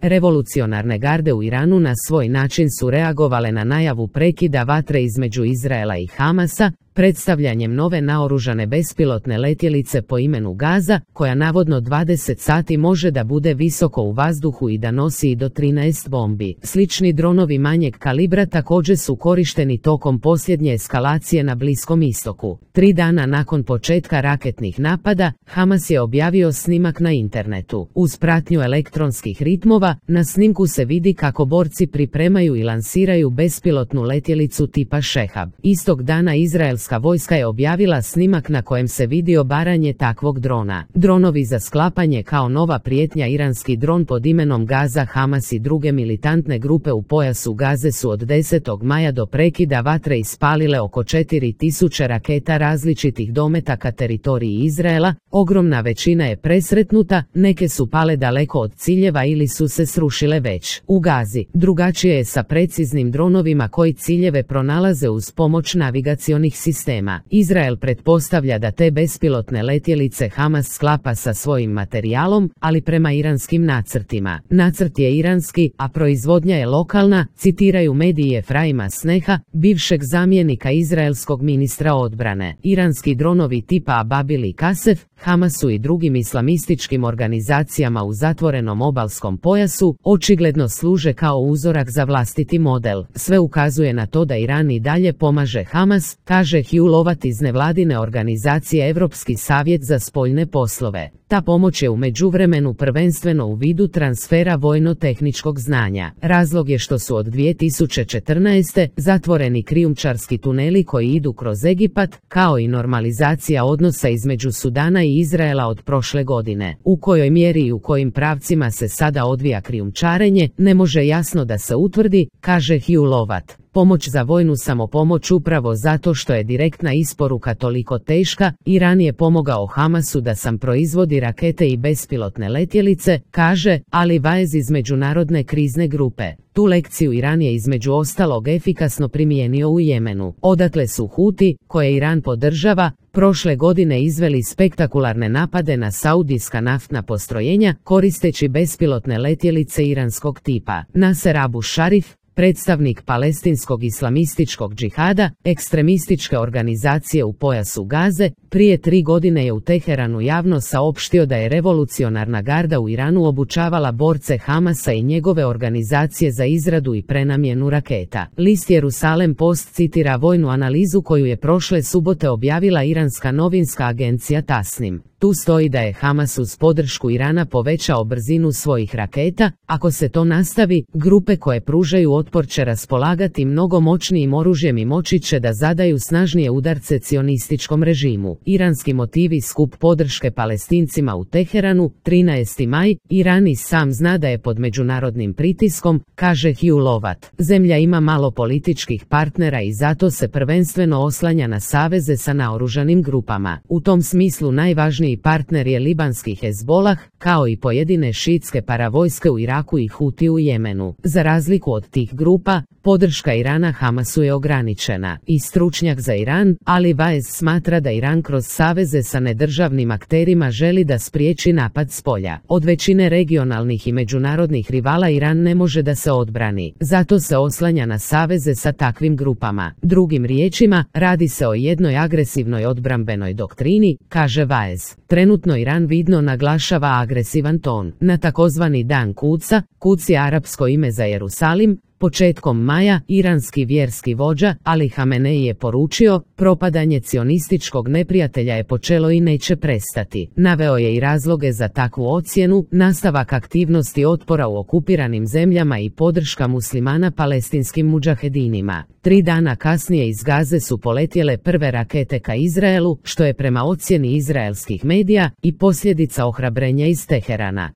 Revolucionarne garde u Iranu na svoj način su reagovale na najavu prekida vatre između Izraela i Hamasa, predstavljanjem nove naoružane bespilotne letjelice po imenu Gaza, koja navodno 20 sati može da bude visoko u vazduhu i da nosi i do 13 bombi. Slični dronovi manjeg kalibra također su korišteni tokom posljednje eskalacije na Bliskom istoku. 3 dana nakon početka raketnih napada, Hamas je objavio snimak na internetu. Uz pratnju elektronskih ritmova, na snimku se vidi kako borci pripremaju i lansiraju bespilotnu letjelicu tipa Šehab. Istog dana izraelska vojska je objavila snimak na kojem se vidi obaranje takvog drona. Dronovi za sklapanje kao nova prijetnja. Iranski dron pod imenom Gaza. Hamas i druge militantne grupe u pojasu Gaze su od 10. maja do prekida vatre ispalile oko 4000 raketa različitih dometa teritoriji Izraela. Ogromna većina je presretnuta, neke su pale daleko od ciljeva ili su se srušile već. U Gazi drugačije je sa preciznim dronovima koji ciljeve pronalaze uz pomoć navigacionih sistema. Izrael pretpostavlja da te bespilotne letjelice Hamas sklapa sa svojim materijalom, ali prema iranskim nacrtima. Nacrt je iranski, a proizvodnja je lokalna, citiraju mediji Efraima Sneha, bivšeg zamjenika izraelskog ministra odbrane. Iranski dronovi tipa Ababil i Kasef, Hamasu i drugim islamističkim organizacijama u zatvorenom obalskom pojasu očigledno služe kao uzorak za vlastiti model. Sve ukazuje na to da Iran i dalje pomaže Hamas, kaže Hugh Lovat iz nevladine organizacije Europski savjet za spoljne poslove. Ta pomoć je u međuvremenu prvenstveno u vidu transfera vojno-tehničkog znanja. Razlog je što su od 2014. zatvoreni krijumčarski tuneli koji idu kroz Egipat, kao i normalizacija odnosa između Sudana i Izraela od prošle godine. U kojoj mjeri i u kojim pravcima se sada odvija krijumčarenje, ne može jasno da se utvrdi, kaže Hugh Lovat. Pomoć za vojnu samopomoć upravo zato što je direktna isporuka toliko teška, Iran je pomogao Hamasu da sam proizvodi rakete i bespilotne letjelice, kaže Ali Vaez iz međunarodne krizne grupe. Tu lekciju Iran je između ostalog efikasno primijenio u Jemenu. Odatle su Huti, koje Iran podržava, prošle godine izveli spektakularne napade na saudijska naftna postrojenja koristeći bespilotne letjelice iranskog tipa. Nasser Abu Sharif, predstavnik palestinskog islamističkog džihada, ekstremističke organizacije u pojasu Gaze, prije 3 godine je u Teheranu javno saopštio da je revolucionarna garda u Iranu obučavala borce Hamasa i njegove organizacije za izradu i prenamjenu raketa. List Jerusalem Post citira vojnu analizu koju je prošle subote objavila iranska novinska agencija Tasnim. Tu stoji da je Hamas uz podršku Irana povećao brzinu svojih raketa. Ako se to nastavi, grupe koje pružaju otpor će raspolagati mnogo moćnijim oružjem i moći će da zadaju snažnije udarce cionističkom režimu. Iranski motivi skup podrške Palestincima u Teheranu, 13. maj, Iran i sam zna da je pod međunarodnim pritiskom, kaže Hugh Lovat. Zemlja ima malo političkih partnera i zato se prvenstveno oslanja na saveze sa naoružanim grupama. U tom smislu najvažniji partner je libanski Hezbolah, kao i pojedine šiitske paravojske u Iraku i Huti u Jemenu. Za razliku od tih grupa, podrška Irana Hamasu je ograničena. I stručnjak za Iran, Ali Vaez smatra da Iran kroz saveze sa nedržavnim akterima želi da spriječi napad s polja. Od većine regionalnih i međunarodnih rivala Iran ne može da se odbrani. Zato se oslanja na saveze sa takvim grupama. Drugim riječima, radi se o jednoj agresivnoj odbrambenoj doktrini, kaže Vaez. Trenutno Iran vidno naglašava agresivan ton. Na takozvani Dan Kuca, Kuc je arapsko ime za Jerusalim, početkom maja, iranski vjerski vođa Ali Hamenei je poručio, propadanje cionističkog neprijatelja je počelo i neće prestati. Naveo je i razloge za takvu ocjenu, nastavak aktivnosti otpora u okupiranim zemljama i podrška muslimana palestinskim mudžahedinima. 3 dana kasnije iz Gaze su poletjele prve rakete ka Izraelu, što je prema ocjeni izraelskih medija i posljedica ohrabrenja iz Teherana.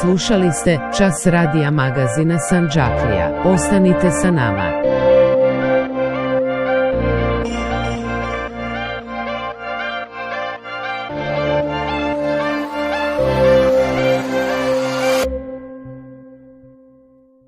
Slušali ste Čas radija magazina Sandžaklija. Ostanite sa nama.